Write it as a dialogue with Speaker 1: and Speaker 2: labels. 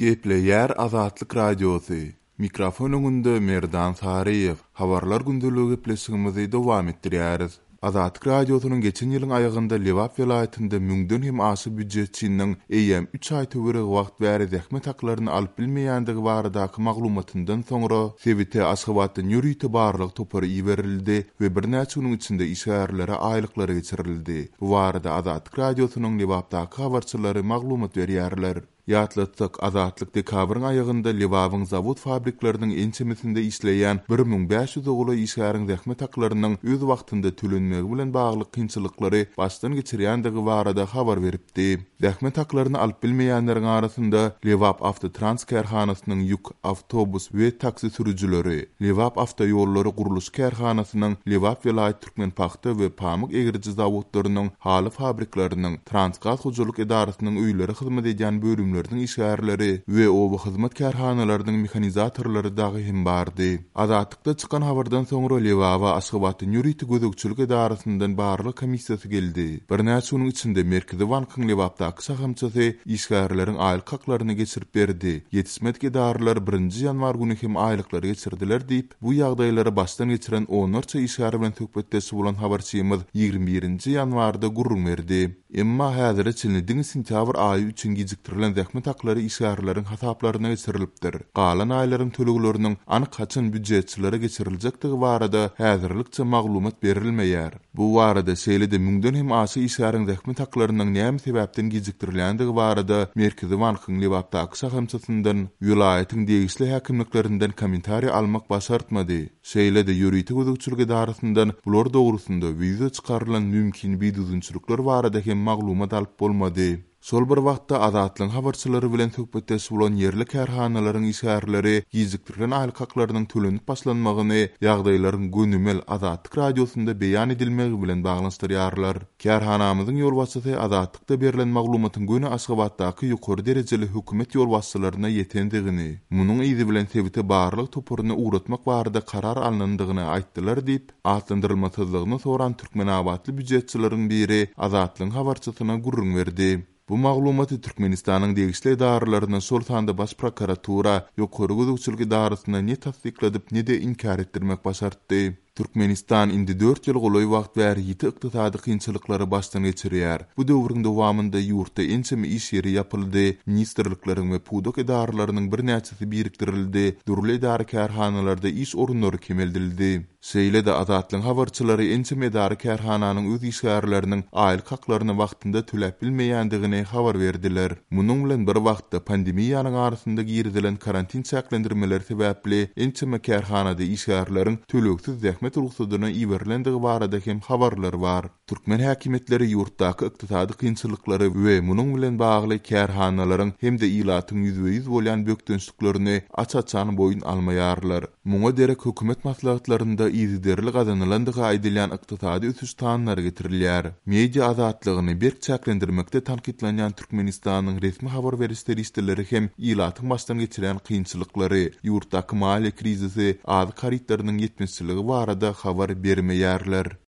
Speaker 1: Gepleýär Azatlyk Radiosy, Mikrofon öňünde Merdan Saryýew. Habarlar gündeligi gepleşigimizi dowam etdirýäris. Azatlyk Radiosynyň geçen ýylyň aýagynda Lebap welaýatynda müňden hem aşa býujetçiniň eýýäm üç aý töweregi wagt bäri zähmet haklaryny alyp bilmeýändigi baradaky maglumatyndan soňra sebite Aşgabatdan ýörite barlag topary iberildi we birnäçe günüň içinde işgärlere aýlyklary geçirildi. Bu barada Azatlyk Radiosynyň Lebapdaky habarçylary maglumat berýärler. Ýatlatsak, Azatlyk dekabryň aýagynda Lebabyň zawod-fabrikleriniň ençemesinde işleýän 1500 golaý işgäriň zähmet haklarynyň öz wagtynda tölenmegi bilen bagly kynçylyklary başdan geçirýändigi barada habar beripdi. Zähmet haklaryny alyp bilmeýänleriň arasynda Lebap awtotrans kärhanasynyň ýük, awtobus we taksi sürüjileri, Lebap awtoýollary gurluşyk kärhanasynyň Lebap welaýat Türkmenpagta we pamyk egriji zawodlarynyň, haly fabrikleriniň, Transgaz hojalyk edarasynyň öýlere hyzmat edýän bölümleriniň işgärleri we oba hyzmat kärhanalarynyň mehanizatorlary dagy hem bardy. Azatlykda çykan habardan soňra Lebaba Aşgabatdan ýörite gözegçilik edarasyndan barlag komissiýasy geldi. Birnäçe günüň içinde Merkezi bankyň Lebapdaky şahamçasy işgärleriň aýlyk haklaryny geçirip berdi. Ýetişmedik edaralar birinji ýanwar güni hem aýlyklary geçirdiler diýip, Bu ýagdaýlary başdan geçiren onlarça işgär bilen söhbetdeş bolan habarçymyz 21 nji ýanwarda gürrüň berdi. Emma häzire çenli diňe sentýabr aýy üçin gijikdirilen zähmet haklary işgärleriň hasaplaryna geçirilipdir. Galan aýlaryň tölegleriniň anyk haçan býujetçilere geçiriljekdigi barada häzirlikçe maglumat berilmeýär. Bu barada, şeýle-de müňden hem aşa işgäriň zähmet haklarynyň näme sebäpden gijikdirilýändigi barada Merkezi bankyň Lebapdaky şahamçasyndan, welaýatyň degişli häkimliklerinden kommentariý almak başartmady. Şeýle-de ýörite gözegçilik edarasyndan bular dogrusynda we ýüze çykarylan mümkin bidüzgünçilikler barada hem maglumat alyp bolmady. Şol bir wagtda, Azatlygyň habarçylary bilen söhbetdeş bolan ýerli kärhanalaryň işgärleri gijikdirilen aýlyk haklarynyň tölenip başlanmagyny ýagdaýlaryň gönümel Azatlyk Radiosynda beýan edilmegi bilen baglanyşdyrýarlar. Kärhanamyzyň ýolbaşçysy Azatlykda berlen maglumatyň göni Aşgabatdaky ýokary derejeli hökümet ýolbaşçylaryna ýetendigini, munuň yzy bilen sebite barlag toparyny ugratmak barada karar alnandygyny aýtdylar diýip, Atlandyrylmasyzlygyny soran türkmenabatly býujetçileriň biri Azatlygyň habarçysyna gürrüň berdi. Bu maglumaty Türkmenistanyň degişli edaralaryna, şol sanda Baş prokuratura, Ýokary gözegçilik edarasyna ne tassykladyp, ne-de inkär etdirmek başartdy. Türkmenistan indi dört ýyl golaý wagt bäri ýiti ykdysady kynçylyklary başdan geçirýär. Bu döwrüň dowamynda ýurtda ençeme iş ýeri ýapyldy, ministrlikleriň we pudak edaralarynyň birnäçesi birikdirildi, dürli edara-kärhanalarda iş orunlary kemeldildi. Şeýle-de, Azatlygyň habarçylary ençeme edara-kärhananyň öz işgärleriniň aýlyk haklaryny wagtynda töläp bilmeýändigini habar berdiler. Munuň bilen bir wagtda, pandemiýanyň arasynda girizilen karantin çäklendirmeleri sebäpli ençeme kärhanada işgärleriň tölegsiz zähmet rugsadyna iberilendigi barada hem habarlar bar. Türkmen häkimiýetleri ýurtdaky ykdysady kynçylyklary we munuň bilen bagly kärhanalaryň hem-de ilatyň ýüzbe-ýüz bolýan bökdençliklerini aç-açan boýun almaýarlar. Muňa derek hökümet maslahatlarynda yzygiderli gazanylandygy aýdylýan ykdysady ösüş sanlary getirilýär. Media azatlygyny berk çäklendirmekde tankytlanýan Türkmenistanyň resmi habar beriş serişdeleri hem ilatyň başdan geçirýän kynçylyklary, ýurtdaky maliýe krizisi, azyk harytlarynyň ýetmezçiligi barada habar bermeýärler.